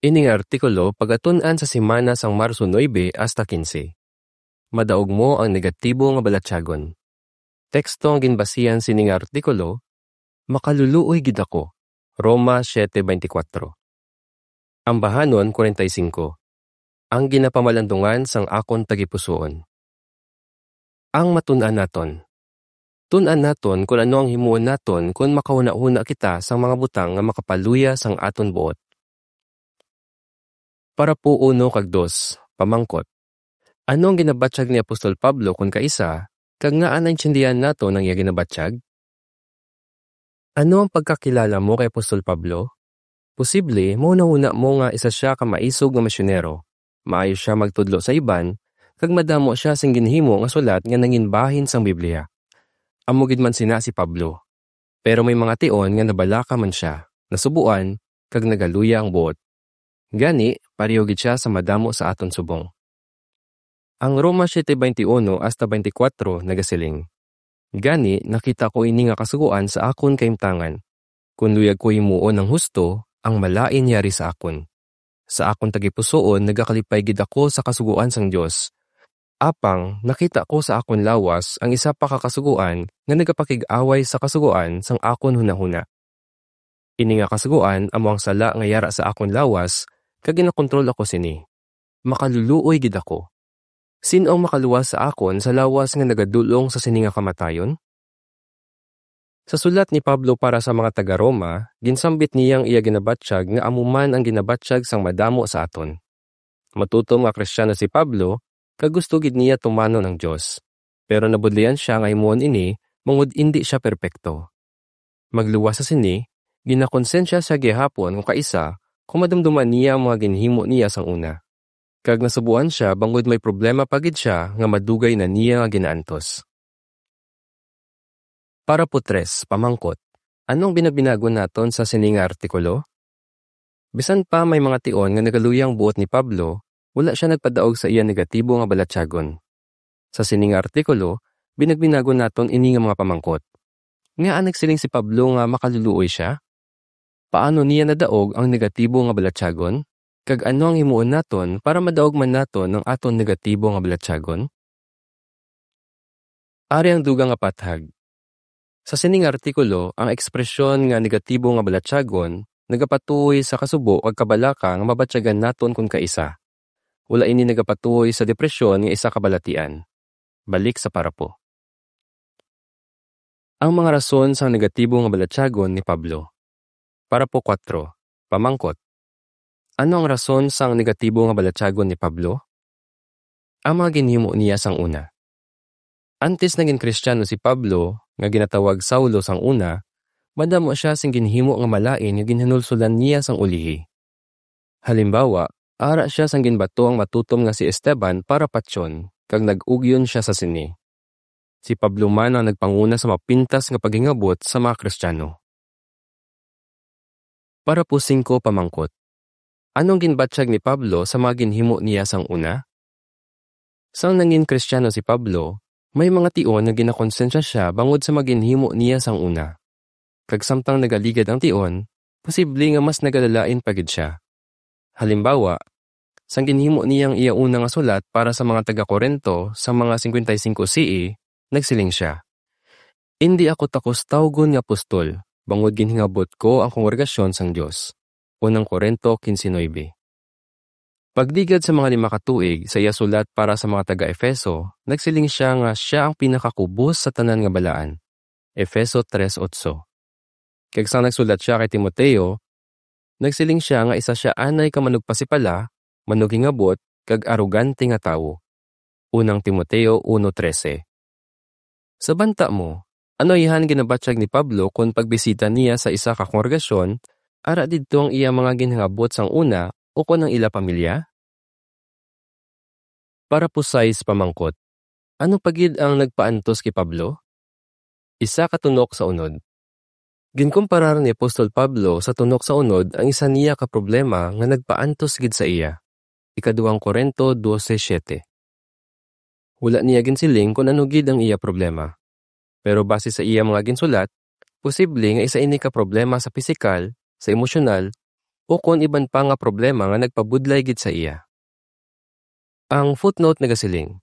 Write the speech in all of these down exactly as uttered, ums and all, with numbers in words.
Ini nga artikulo pagatun-an sa semana sang Marso nuebe hasta kinse. Madaog mo ang negatibo nga balatyagon. Teksto ang ginbasihan sini nga artikulo, "Makaluluoy gid ako." Roma siete veinticuatro. Ambahanon kuwarenta y singko, "Ang ginapamalandungan sang akon tagipusoon." Ang matun-an naton. Tun-an naton kon ano ang himuon naton kon makahunahuna kita sang mga butang nga makapaluya sang aton buot. Parapo uno kag dos, pamangkot. Ano ang ginabatyag ni Apostol Pablo kon kaisa, kag ngaa naintindihan naton ang iya ginabatyag? Ano ang pagkakilala mo kay Apostol Pablo? Posible, mahunahuna mo nga isa sia ka maisog nga misyonero. Maayo sia magtudlo sa iban, kag madamo sia sing ginhimo nga sulat nga nangin bahin sang Biblia. Amo gid man sina si Pablo. Pero may mga tion nga nabalaka man sia, nasubuan, kag nagaluya ang buot. Gani, pareho gid sia sa madamo sa aton subong. Ang Roma siete veintiuno hasta veinticuatro nagasiling, "Gani, nakita ko ini nga kasugoan sa akon kahimtangan. Kon luyag ko himuon ang husto, ang malain yari sa akon. Sa akon tagipusoon nagakalipay gid ako sa kasugoan sang Dios. Apang nakita ko sa akon lawas ang isa pa ka kasugoan nga nagapakig-away sa kasugoan sang akon hunahuna. Ini nga kasugoan amo ang sala nga yara sa akon lawas, kag ginakontrol ako sini. Makaluluoy gid ako. Sin-o ang makaluwas sa akon sa lawas nga nagadul-ong sa sini nga kamatayon?" Sa sulat ni Pablo para sa mga taga-Roma, ginsambit niya ang iya ginabatyag nga amo man ang ginabatyag sang madamo sa aton. Matutom nga Kristiyano si Pablo, kag gusto gid niya tumanon ang Dios. Pero nabudlian sia nga himuon ini, bangod indi sia perpekto. Magluwas sa sini, ginakonsensya sia gihapon kon kaisa, kon madumduman niya ang mga ginhimo niya sang una. Kag nasubuan sia bangod may problema pa gid sia nga madugay na niya nga ginaantos. Parapo tres, pamangkot. Ano ang binabinagon naton sa sini nga artikulo? Bisan pa may mga tion nga nagaluya ang buot ni Pablo, wala sia nagpadaog sa iya negatibo nga balatyagon. Sa sini nga artikulo, binagbinagon naton ini nga mga pamangkot. Ngaa nagsiling si Pablo nga makaluluoy sia? Paano niya nadaog ang negatibo nga balatyagon? Kag ano ang himuon naton para madaog man naton ang aton negatibo nga balatyagon? Ari ang dugang nga pathag. Sa sining artikulo, ang ekspresyon nga negatibo nga balatyagon nagapatuoy sa kasubo kag kabalaka nga mabatyagan naton kon kaisa. Wala ini nagapatuoy sa depresyon nga isa ka balatian. Balik sa parapo. Ang mga rason sang negatibo nga balatyagon ni Pablo. Parapo kuwatro, pamangkot. Ano ang rason sang negatibo nga balatyagon ni Pablo? Ang mga ginhimo niya sang una. Antes nagin Kristiyano si Pablo, nga ginatawag Saulo sang una, madamo sia sing ginhimo nga malain nga ginhinulsolan niya sang ulihi. Halimbawa, ara sia sang ginbato ang matutom nga si Esteban para patyon, kag nag-ugyon sia sa sini. Si Pablo man ang nagpanguna sa mapintas nga paghingabot sa mga Kristiyano. Parapo singko, pamangkot. Ano ang ginbatyag ni Pablo sa mga ginhimo niya sang una? Sang nangin Kristiyano si Pablo, may mga tion nga ginakonsensya sia bangod sa mga ginhimo niya sang una. Kag samtang nagaligad ang tion, posible nga mas nagalalain pa gid sia. Halimbawa, sang ginhimo niya ang iya una nga sulat para sa mga taga-Corinto sa mga singkwenta y singko C E, nagsiling sia, "Indi ako takos tawgon nga apostol, bangod ginhingabot ko ang kongregasyon sang Dios." Unang Corinto quince nueve. Pagligad sa mga lima ka tuig sa iya sulat para sa mga taga-Efeso, nagsiling sia nga sia ang pinakakubos sa tanan nga balaan. Efeso tres otso. Kag sang nagsulat sia kay Timoteo, nagsiling sia nga isa sia anay ka manugpasipala, manughingabot, kag arogante nga tawo. Unang Timoteo uno trese. Sa banta mo, ano iya ang ginabatyag ni Pablo kon pagbisita niya sa isa ka kongregasyon, ara didto ang iya mga ginhingabot sang una ukon ang ila pamilya? Parapo sais, pamangkot. Ano pa gid ang nagpaantos kay Pablo? Isa ka tunok sa unod. Ginkumparar ni Apostol Pablo sa tunok sa unod ang isa niya ka problema nga nagpaantos gid sa iya. Ikaduhang Corinto dose siete. Wala niya ginsiling kon ano gid ang iya problema. Pero base sa iya mga ginsulat, posible nga isa ini ka problema sa pisikal, sa emosyonal, ukon iban pa nga problema nga nagpabudlay gid sa iya. Ang footnote nagasiling,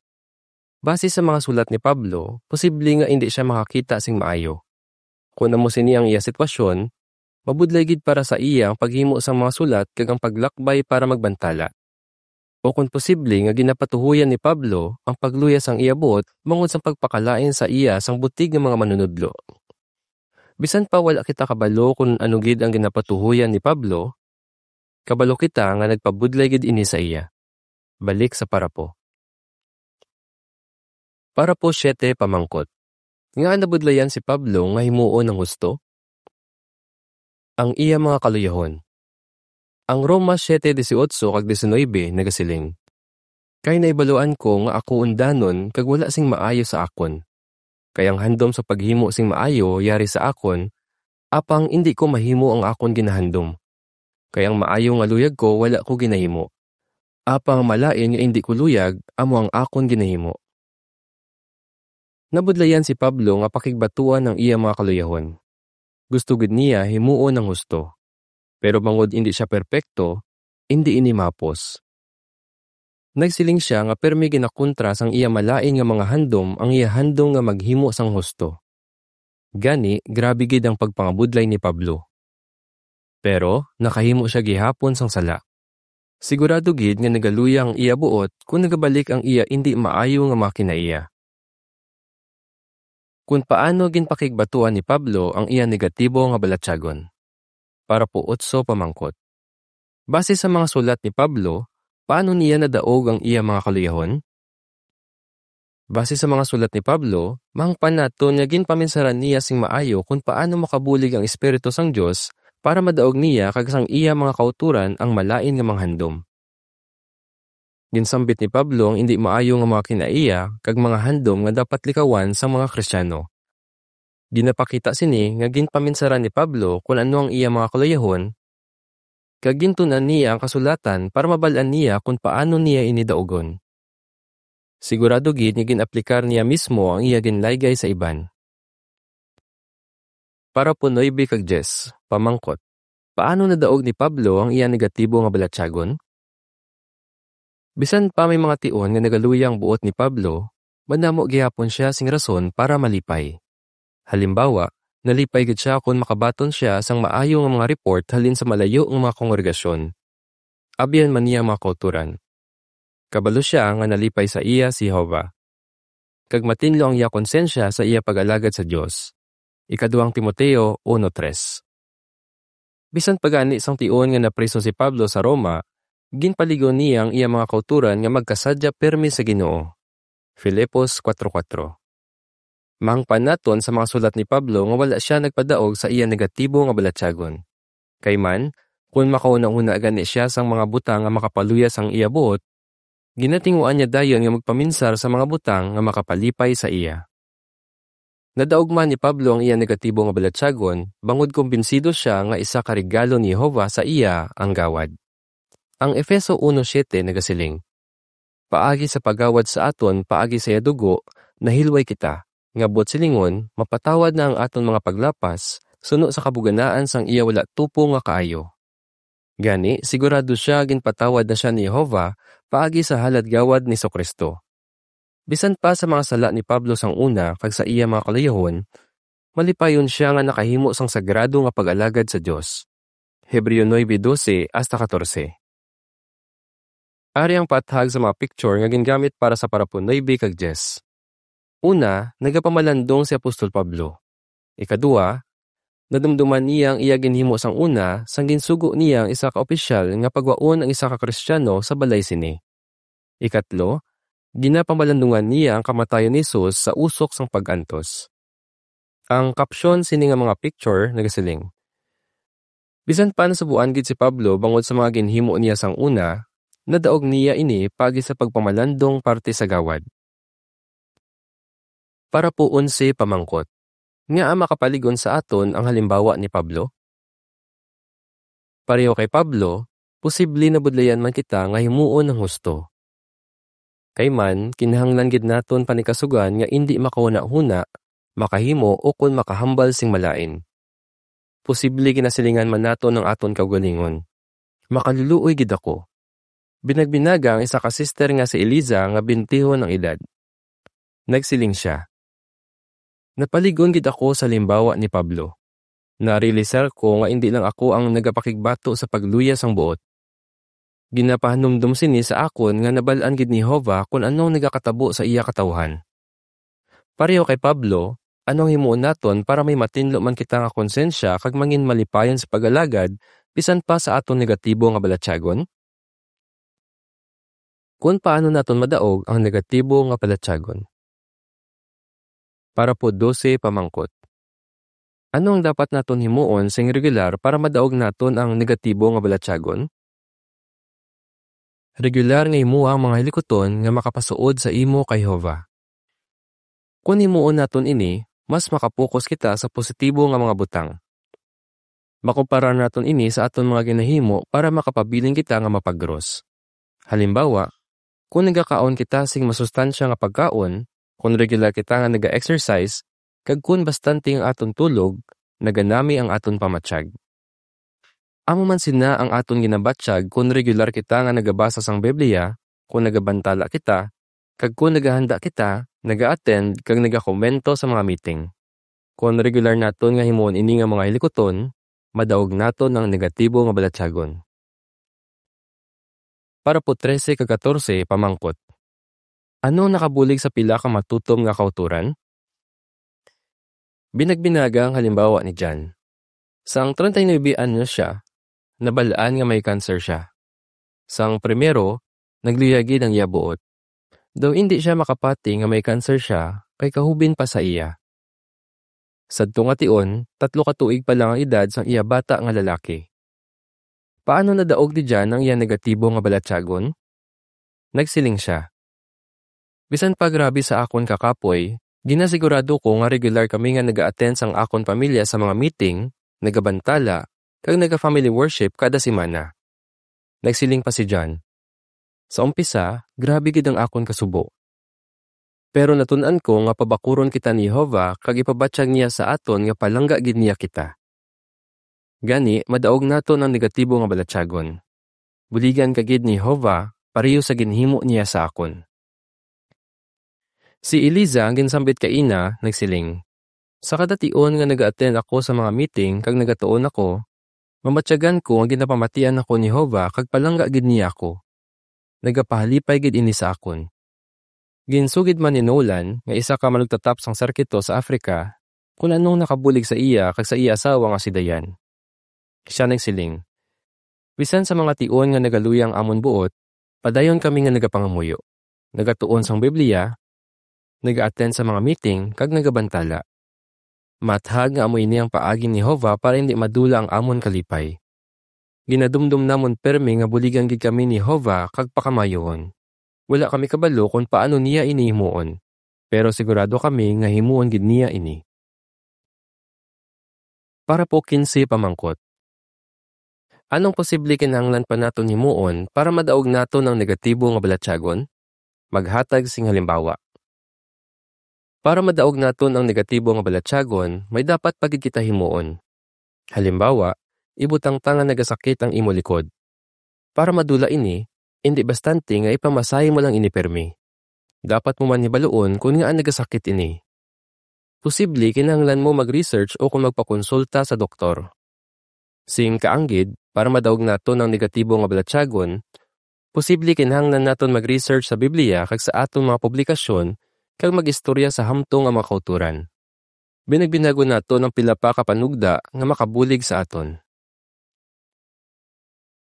base sa mga sulat ni Pablo, posible nga indi sia makakita sing maayo. Kon amo sini ang iya sitwasyon, mabudlay gid para sa iya ang paghimo sang mga sulat kag ang paglakbay para magbantala. O kon posible nga ginapatuhoyan ni Pablo ang pagluya sang iya buot bangod sang pagpakalain sa iya sang butig nga mga manunodlo. Bisan pa wala kita kabalo kon ano gid ang ginapatuhoyan ni Pablo, kabalo kita nga nagpabudlay gid ini sa iya. Balik sa parapo. Parapo siete, pamangkot. Ngaa nabudlayan si Pablo nga himuon ang husto? Ang iya mga kaluyahon. Ang Roma siete dieciocho kag diecinuebe nagasiling, "Kay naibaluan ko nga ako undanon kag wala sing maayo sa akon. Kay ang handom sa paghimo sing maayo yari sa akon, apang indi ko mahimo ang akon ginahandom. Kay ang maayo nga luyag ko wala ko ginahimo, apang ang malain nga indi ko luyag amo ang akon ginahimo." Nabudlayan si Pablo nga pakigbatuan ang iya mga kaluyahon. Gusto gid niya himuon ang husto. Pero bangod indi sia perpekto, indi ini mahapos. Nagsiling sia nga pirmi ginakontra sang iya malain nga mga handom ang iya handom nga maghimo sang husto. Gani, grabe gid ang pagpangabudlay ni Pablo. Pero nakahimo sia gihapon sang sala. Sigurado gid nga nagaluya ang iya buot kon nagabalik ang iya indi maayo nga mga kinaiya. Kon paano ginpakigbatuan ni Pablo ang iya negatibo nga balatyagon? Parapo otso, pamangkot. Base sa mga sulat ni Pablo, paano niya nadaog ang iya mga kaluyahon? Base sa mga sulat ni Pablo, mahangpan naton nga ginpaminsaran niya sing maayo kon paano makabulig ang Espiritu sang Dios para madaog niya kag sang iya mga kautoran ang malain nga mga handom. Ginsambit ni Pablo ang indi maayo nga mga kinaiya kag mga handom nga dapat likawan sang mga Kristiano. Ginapakita sini nga ginpaminsaran ni Pablo kon ano ang iya mga kaluyahon, kag gintun-an niya ang kasulatan para mabal-an niya kon paano niya ini daugon. Sigurado gid nga gin-aplikar niya mismo ang iya ginlaygay sa iban. Parapo nuebe kag diyes, pamangkot. Paano nadaog ni Pablo ang iya negatibo nga balatyagon? Bisan pa may mga tion nga nagaluya ang buot ni Pablo, madamo gihapon sia sing rason para malipay. Halimbawa, nalipay gid sia kon makabaton sia sang maayo nga mga report halin sa malayo nga mga kongregasyon. Abyan man niya ang mga kautoran. Kabalo sia nga nalipay sa iya si Jehovah, kag matinlo ang iya konsensya sa iya pag-alagad sa Dios. Ikaduang Timoteo uno tres. Bisan pa gani sang tion nga napriso si Pablo sa Roma, ginpaligon niya ang iya mga kautoran nga magkasadya pirme sa Ginoo. Filipos kuwatro kuwatro. Mahangpan naton sa mga sulat ni Pablo nga wala sia nagpadaog sa iya negatibo nga balatyagon. Kay man, kon makahunahuna gani sia sang mga butang nga makapaluya sang iya buot, ginatinguan niya dayon nga magpaminsar sa mga butang nga makapalipay sa iya. Nadaog man ni Pablo ang iya negatibo nga balatyagon bangod kumbinsido sia nga isa ka regalo ni Jehovah sa iya ang gawad. Ang Efeso uno siete nagasiling, "Paagi sa paggawad sa aton paagi sa iya dugo, nahilway kita, nga buot silingon, mapatawad na ang aton mga paglapas, suno sa kabuganaan sang iya wala tupong nga kaayo." Gani, sigurado sia ginpatawad na sia ni Jehovah paagi sa halad gawad ni Jesu-Cristo. Bisan pa sa mga sala ni Pablo sang una kag sa iya mga kaluyahon, malipayon sia nga nakahimo sang sagrado nga pag-alagad sa Dios. Hebreo nuebe doce hasta katorse. Ari ang paathag sa mga picture nga gingamit para sa parapo nuebe kag diyes. Una, nagapamalandong si Apostol Pablo. Ikadua, nadumduman niya ang iya ginhimo sang una sang ginsugo niya ang isa ka opisyal nga pagwaon ang isa ka Kristiano sa balay sini. Ikatlo, ginapamalandungan niya ang kamatayon ni Jesus sa usok sang pag-antos. Ang caption sini nga mga picture nagasiling, "Bisan pa nasubuan gid si Pablo bangod sa mga ginhimo niya sang una, nadaog niya ini paagi sa pagpamalandong parte sa gawad." Parapo onse, pamangkot. Ngaa makapaligon sa aton ang halimbawa ni Pablo? Pareho kay Pablo, posible nabudlayan man kita nga himuon ang husto. Kay man, kinahanglan gid naton panikasugan nga indi makahunahuna, makahimo, ukon makahambal sing malain. Posible ginasilingan man naton ang aton kaugalingon. Makaluluoy gid ako. Binagbinaga ang isa ka sister nga si Eliza nga bentihon ang edad. Nagsiling sia, "Napalig-on gid ako sa limbawa ni Pablo. Narealisar ko nga indi lang ako ang nagapakigbato sa pagluya sang buot. Ginapahanumdom sini sa akon nga nabal-an gid ni Jehovah kon ano ang nagakatabo sa iya katawuhan." Pareho kay Pablo, ano ang himuon naton para may matinlo man kita nga konsensya kag mangin malipayon sa pag-alagad bisan pa sa aton negatibo nga balatyagon? Kon paano naton madaog ang negatibo nga balatyagon? Parapo dose, pamangkot. Ano ang dapat naton himuon sing regular para madaog naton ang negatibo nga balatyagon? Regular nga himuha ang mga hilikuton nga makapasuod sa imo kay Jehovah. Kon himuon naton ini, mas makapokos kita sa positibo nga mga butang. Makumparar naton ini sa aton mga ginahimo para makapabilin kita nga mapagros. Halimbawa, kon nagakaon kita sing masustansya nga pagkaon, kon regular kita nga naga-exercise, kag kon bastante ang aton tulog, naganami ang aton pamatyag. Amo man sina ang aton ginabatyag kon regular kita nga nagabasa sang Biblia, kon nagabantala kita, kag kon nagahanda kita, naga-attend, kag nagakomento sa mga meeting. Kon regular naton nga himuon ini nga mga hilikuton, madaog naton ang negatibo nga balatyagon. Parapo trese kag katorse, pamangkot. Ano ang nakabulig sa pila ka matutom nga kautoran? Binagbinaga ang halimbawa ni John. Sang treinta y nuebe anyos sia, nabal-an nga may cancer sia. Sang primero, nagluya gid ang iya buot. Daw indi sia makapati nga may cancer sia kay kahubin pa sa iya. Sadto nga tion, tatlo ka tuig pa lang ang edad sang iya bata nga lalaki. Paano nadaog ni John ang iya negatibo nga balatyagon? Nagsiling sia, "Bisan pa grabe sa akon kakapoy, ginasigurado ko nga regular kami nga naga-attend sang akon pamilya sa mga meeting, nagabantala, kag naga-family worship kada semana." Nagsiling pa si John, "Sa umpisa, grabe gid ang akon kasubo. Pero natun-an ko nga pabakuron kita ni Jehovah kag ipabatyag niya sa aton nga palangga gid niya kita. Gani, madaog naton ang negatibo nga balatyagon. Buligan ka gid ni Jehovah pareho sa ginhimo niya sa akon." Si Eliza, ang ginsambit kaina, nagsiling, "Sa kada tion nga naga-attend ako sa mga meeting kag nagatuon ako, mamatyagan ko nga ginapamatian ako ni Jehovah kag palangga gid niya ako. Nagapahalipay gid ini sa akon." Ginsugid man ni Nolan, nga isa ka manugtatap sang sirkito sa Africa, kon anong nakabulig sa iya kag sa iya asawa nga si Diane. Sia nagsiling, "Bisan sa mga tion nga nagaluya ang amon buot, padayon kami nga nagapangamuyo, nagatuon sang Biblia, naga-attend sa mga meeting, kag nagabantala. Maathag nga amo ini ang paagi ni Jehovah para hindi madula ang amon kalipay. Ginadumdom namon pirme nga buligan gid kami ni Jehovah kag pakamayuhon. Wala kami kabalo kon paano niya ini himuon, pero sigurado kami nga himuon gid niya ini." Parapo kinse, pamangkot. Anong posible kinahanglan pa naton himuon para madaog naton ang negatibo nga balatyagon? Maghatag sing halimbawa. Para madaog naton ang negatibo nga balatyagon, may dapat pa gid kita himuon. Halimbawa, ibutang ta nga nagasakit ang imo likod. Para madula ini, indi bastante nga ipamasahe mo lang ini pirmi. Dapat mo man hibaluon kon ngaa nagasakit ini. Posible kinahanglan mo mag-research o kon magpakonsulta sa doktor. Sing kaanggid, para madaog naton ang negatibo nga balatyagon, posible kinahanglan naton mag-research sa Biblia kag sa aton mga publikasyon kag mag-istorya sa hamtong nga mga kautoran. Binagbinagon naton ang pila pa ka panugda nga makabulig sa aton.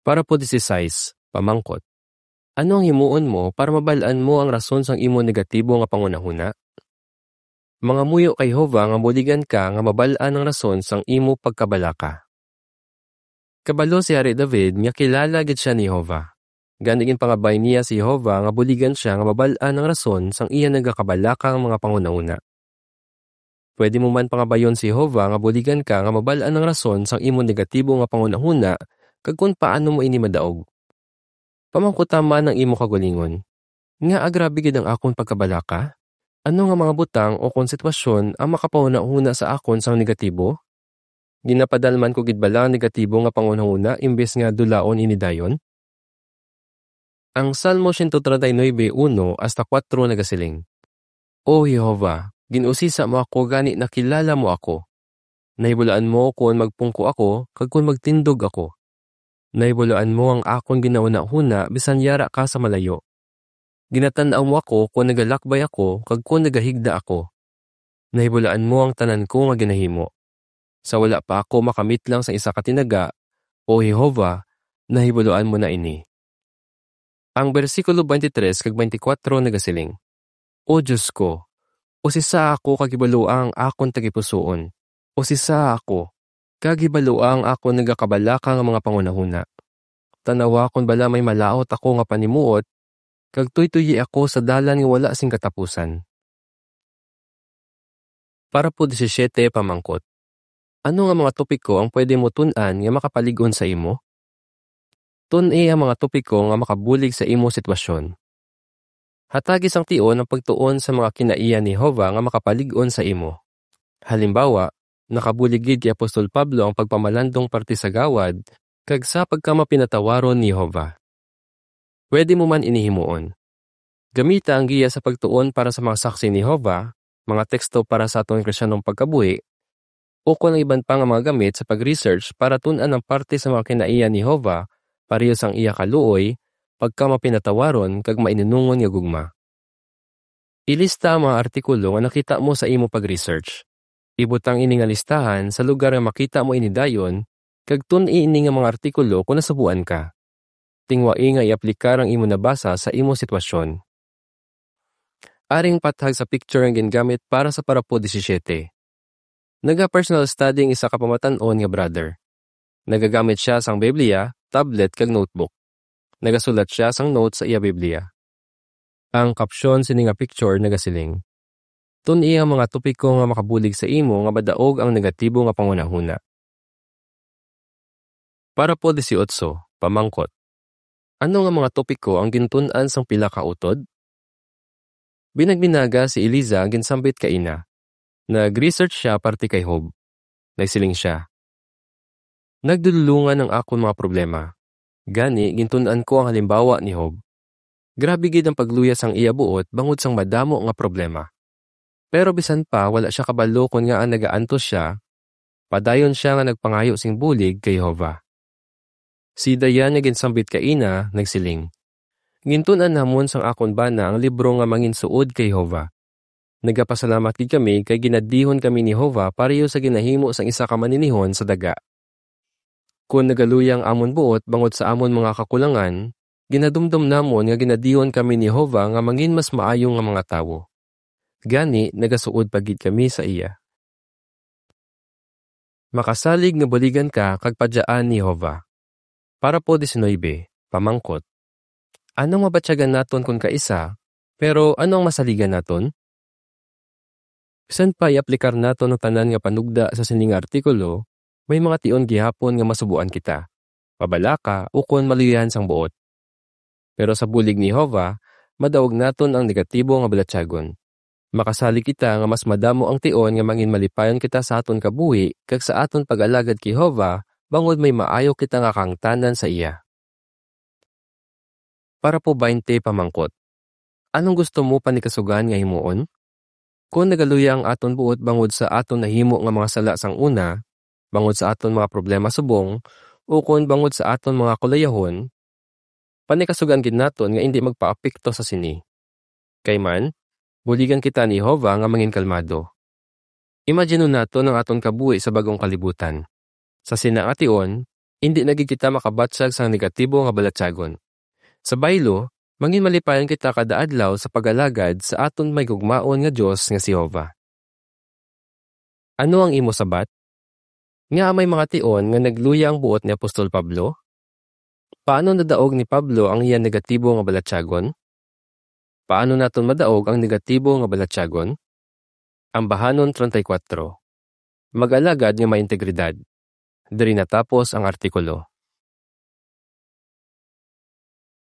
Parapo disisais, pamangkot. Ano ang himuon mo para mabal-an mo ang rason sang imo negatibo nga panghunahuna? Mangamuyo kay Jehovah nga buligan ka nga mabal-an ang rason sang imo pagkabalaka. Kabalo si Hari David nga kilala gid sia ni Jehovah. Gani ginpangabay niya si Jehovah nga buligan sia nga mabal-an ang rason sang iya nagakabalaka nga mga panghunahuna. Pwede mo man pangabayon si Jehovah nga buligan ka nga mabal-an ang rason sang imo negatibo nga panghunahuna kag kon paano mo ini madaog. Pamangkuta man ang imo kaugalingon, "Ngaa grabe gid ang akon pagkabalaka? Ano nga mga butang o kon sitwasyon ang makapahunahuna sa akon sang negatibo?" Ginapadalman ko gid bala ang negatibo nga panghunahuna imbes nga dulaon ini dayon? Ang Salmo siyento treinta y nuebe, uno hasta kuwatro nagasiling, "O Jehovah, gin-usisa mo ako, gani nakilala mo ako. Nahibaluan mo kon magpungko ako kag kon magtindog ako. Nahibaluan mo ang akon ginahunahuna bisan yara ka sa malayo. Ginatan-aw mo ako kon nagalakbay ako kag kon nagahigda ako. Nahibaluan mo ang tanan ko nga ginahimo. Sa wala pa ako makamitlang sa isa ka tinaga, O Jehovah, nahibaluan mo na ini." Ang bersikulo twenty-three kag twenty-four nagasiling, "O Dios ko, usisa ako kag hibalua ang akon tagipusoon. Usisa ako, kag hibalua ang akon nagakabalaka nga mga panghunahuna. Tan-awa kon bala may malaut ako nga panimuot, kag tuytoyi ako sa dalan nga wala sing katapusan." Parapo disisiete, pamangkot, ano nga mga topiko ang pwede mo tun-an nga makapalig-on sa imo? Tun-i ang mga topiko nga makabulig sa imo sitwasyon. Hatagi sang tion ang pagtuon sa mga kinaiya ni Jehovah nga makapalig-on sa imo. Halimbawa, nakabulig gid kay Apostol Pablo ang pagpamalandong parte sa gawad kag sa pagkamapinatawaron ni Jehovah. Pwede mo man ini himuon. Gamita ang giya sa pagtuon para sa mga saksi ni Jehovah, mga teksto para sa aton Kristiyanong pagkabuhi, o kon ang iban pa nga mga gamit sa pag-research para tun-an ang parte sa mga kinaiya ni Jehovah, pareho sang iya kaluoy, pagkamapinatawaron, kag mainunungon nga gugma. Ilista ang mga artikulo nga nakita mo sa imo pag-research. Ibutang ini nga listahan sa lugar nga makita mo ini dayon, kag tun-i ini nga mga artikulo kon nasubuan ka. Tingwai nga i-aplikar ang imo nabasa sa imo sitwasyon. Aring pathag sa picture ang gingamit para sa parapo disisiete. Naga-personal study ang isa ka pamatan-on nga brother. Nagagamit sia sang Biblia, tablet, kag notebook. Nagasulat sia sang notes sa iya Biblia. Ang caption sini nga picture nagasiling, "Tun-i ang mga topiko nga makabulig sa imo nga madaog ang negatibo nga panghunahuna." Parapo dieciocho, pamangkot, ano nga mga topiko ang gintun-an sang pila ka utod? Binagbinaga si Eliza ang ginsambit kaina. Nag-research sia parte kay Job. Nagsiling sia, "Nagdululongan ang akon mga problema. Gani, gintun-an ko ang halimbawa ni Job. Grabe gid ang pagluya sang iya buot bangod sang madamo nga problema. Pero bisan pa wala sia kabalo kon ngaa nagaantos sia, padayon sia nga nagpangayo sing bulig kay Jehovah." Si Diane nga ginsambit kaina nagsiling, "Gintun-an namon sang akon bana ang libro nga Manginsuod kay Jehovah. Nagapasalamat gid kami kay ginadihon kami ni Jehovah pareho sa ginahimo sang isa ka maninihon sa daga. Kon nagaluya ang amon buot bangod sa amon mga kakulangan, ginadumdom namon nga ginadihon kami ni Jehovah nga mangin mas maayo nga mga tawo. Gani, nagasuod pa gid kami sa iya." Makasalig nga buligan ka kag padyaan ni Jehovah. Parapo diecinuebe, pamangkot, ano ang mabatyagan naton kon kaisa, pero ano ang masaligan naton? Bisan pa i-aplikar naton ang tanan nga panugda sa sini nga artikulo, may mga tion gihapon nga masubuan kita, mabalaka, ukon maluyahan sang buot. Pero sa bulig ni Jehovah, madaog naton ang negatibo nga balatyagon. Makasalig kita nga mas madamo ang tion nga mangin malipayon kita sa aton kabuhi kag sa aton pag-alagad kay Jehovah, bangod may maayo kita nga kahangtanan sa iya. Parapo twenty, pamangkot, anong gusto mo panikasugan nga himuon? Kon nagaluya ang aton buot bangod sa aton nahimo nga mga sala sang una, bangod sa aton mga problema subong, ukon bangod sa aton mga kulayahon, panikasugan gid naton nga indi magpaapekto sa sini. Kay man, buligan kita ni Jehovah nga mangin kalmado. Imaginon naton ang aton kabuhi sa bag-ong kalibutan. Sa sina nga tion, indi na gid kita makabatyag sang negatibo nga balatyagon. Sa baylo, mangin malipayon kita kada adlaw sa pag-alagad sa aton may gugmaon nga Dios nga si Jehovah. Ano ang imo sabat? Ngaa may mga tion nga nagluya ang buot ni Apostol Pablo? Paano nadaog ni Pablo ang iya negatibo nga balatyagon? Paano naton madaog ang negatibo nga balatyagon? Ambahanon treinta y cuatro. Mag-alagad nga may integridad. Diri natapos ang artikulo.